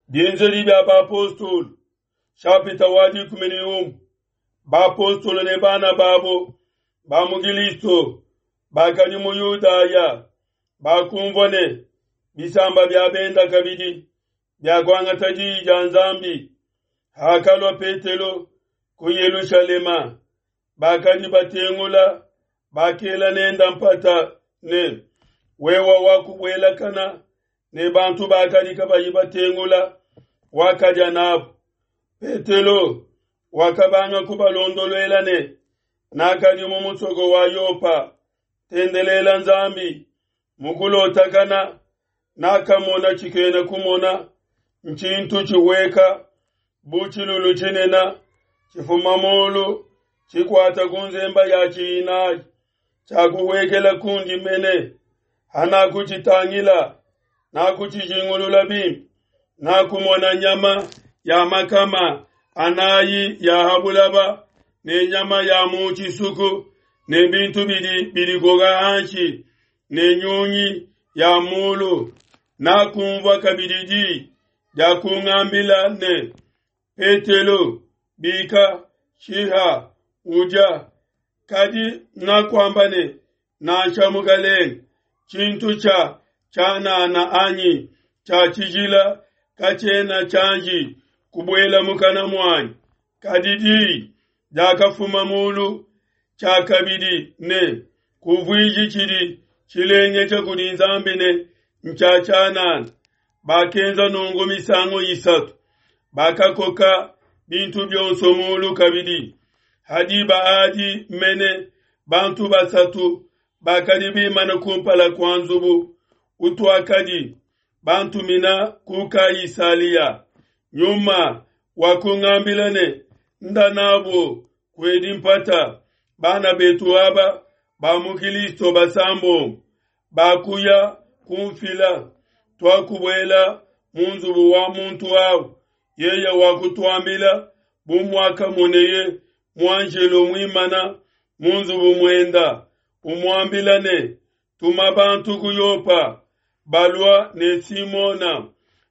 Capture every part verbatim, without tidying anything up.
Bienzedi bia bapostolo, nshapita wa dikumi ne umue. Bapostolo ne bana babo ba mu Kilisto bakadi mu Yudaya bakumvua ne bisamba bia benda kabidi biakuangata diyi dia Nzambi. Hakalua Petelo ku Yelushalema, bakadi batengula bakela nenda mpata ne wewa wakubuelakana ne bantu bakadi kabayi batengula, wakadia nabo. Petelo wakabanga kubalondoluela ne nakadi mu musoko wa Yopa tendelela Nzambi mukulotakana nakamona tshikena kumona ntshintu tshiweka bu tshilulu tshinene tshifuma mulu tshikwata ku nzemba ya tshinayi tshiakuwekela kundi mene hanakutshitangila nakutshijingulula bimpe nakumona nyama ya makama anayi ya habulaba ne nyama ya mu tshisuku ne bintu bidi bidikoka hanshi ne nyunyi ya mulu. Nakumvua kabidi diyi dia kungambila ne Petelo, bika, shiha, udia. Kadi nakwamba ne nansha mukalenge, tshintu tshia tshianana anyi tshia tshijila katshiena tshianji kubuela mukana muanyi. Kadi diyi diakafuma mulu tshiakabidi ne kuvuiji tshidi tshilengeja kudi Nzambi ne ntshia tshianana. Bakenza nungu misangu isatu, bakakoka bintu bionso mulu kabidi. Hadiba adi mene bantu basatu bakadi bimana kumpala kua nzubu utuakadi bantumina ku Kaisalia. Nyuma wakungambila ne nda nabo kuedi mpata bana betu aba ba mu Kilisto basambombo bakuya kumfila. Twakubuela mu nzubu wa muntu awu, yeye wakutuambila bu muakamoneye muanjelo muimana mu nzubu muenda umuambila ne tuma bantu ku Yopa balua ne Simona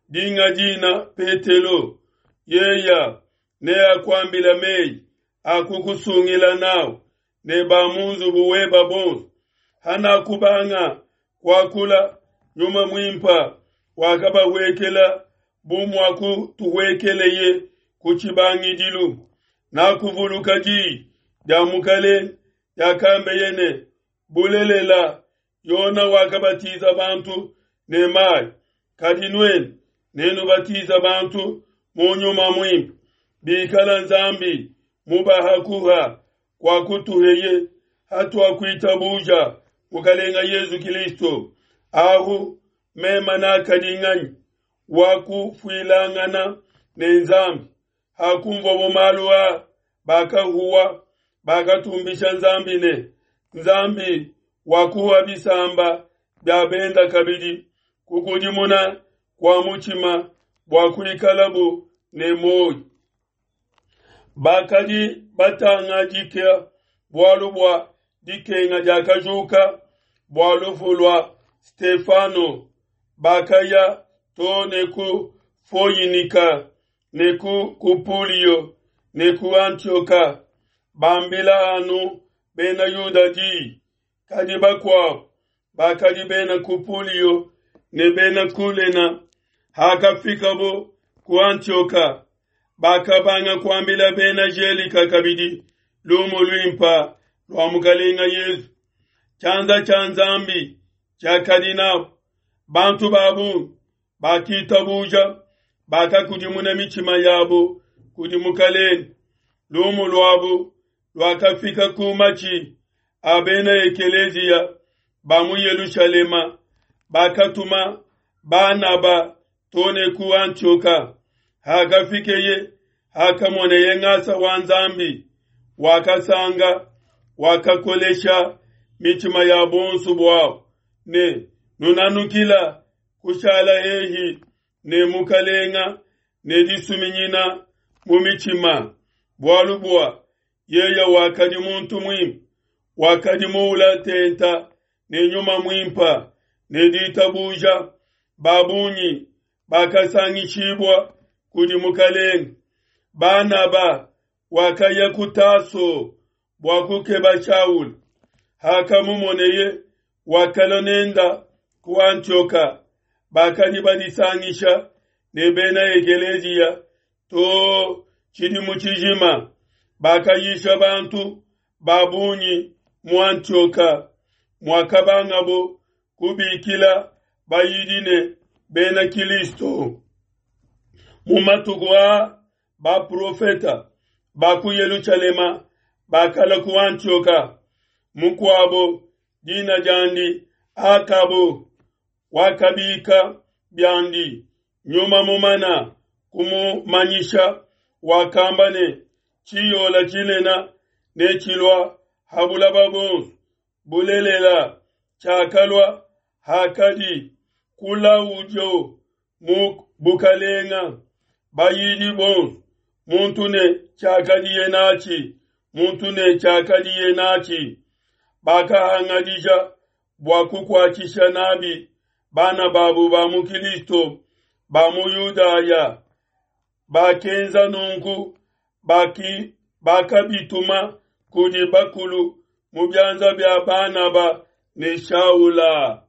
dinga dina Petelo, yeya ne akwambila meyi akukusungila nawu ne ba mu nzubu weba bonso. Hanakubanga kuakula, nyuma mwimpa wakabawekela bu muakutuwekeleye ku tshibangidilu. Nakuvuluka diyi dia mukalenge diakambeye ne bulelela Yona wakabatiza bantu ne mayi, kadi nuenu nenubatiza bantu mu nyuma mwimpe. Bikala Nzambi mubahakuha kwa kutuheye hatuakuitabuja mukalenga Yesu Kristo. Ahu mema nakadi wakufuilangana ne Nzambi. Hakumvwa malu a bakahuwa bakatumbisha Nzambi ne Nzambi wakuwa bisamba bya benda kabidi kukudimuna kwa muchima bwa kuikalabu ne moyo. Bakadi batangajika bwalu bwa dikenga diakajuka bwa lufu lwa Stefano, bakaya to ne ku Foyinika ne ku Kupulio ne ku Antioka, bambila anu bena Yuda diyi. Kadi bakuabu bakadi bena Kupulio ne bena Kulena hakafikabo ku Antioka, bakabanga kuambila bena Gelika kabidi lumu luimpa lwa mukalenga Yesu. Tshianza tshia Nzambi tshiakadi nabo. Bantu babungi bakitabuja, bakakudimuna mitshima yabo kudi mukalenge. Lumu luabu luakafika ku matshi a bena ekeleziya ba mu Yelushalema, bakatuma Banaba tone ku Antioka. Hakafikeye hakamoneye ngasa wa Nzambi, wakasanga wakakolesha mitshima ya bonso bwabo ne nunanukila kushala hehi ne mukalenga ne disuminyina mu mitshima. Bwalu bwa yeye wakadi muntu mwimpe, wakadi muula tenta ne nyuma mwimpa ne ditabuja. Babunyi bakasangishibua kudi Mukelenge. Banaba wakaya ku Taso bua kukeba Shaula. Hakamumoneye, wakalua nenda ku Antioka. Bakadi badisangisha ne bena ekeleziya to tshidimu tshijima, bakayisha bantu ba bungi mu Antioka, muakabangabo kubikila bayidi ne bena Kilisto. Mu matuku aa baprofeta ba ku Yelushalema bakalua ku Antioka. Mukuabo dina diandi Akabo wakabika biandi nyuma mumana kumumanyisha, wakamba ne tshiyola tshinene ne tshilua ha bulaba buonso. Bulelela tshiakalua hakadi Kulaudio mu bukalenga. Bayidi bonso muntu ne tshiakadiye natshi, muntu ne tshiakadiye natshi, bakahangadija bua kukuatshisha nabi bana babu ba mu Kilisto ba mu Yudaya. Bakenza nunku baki bakabituma kudi bakulu mu bianza bia Banaba ne Shaula.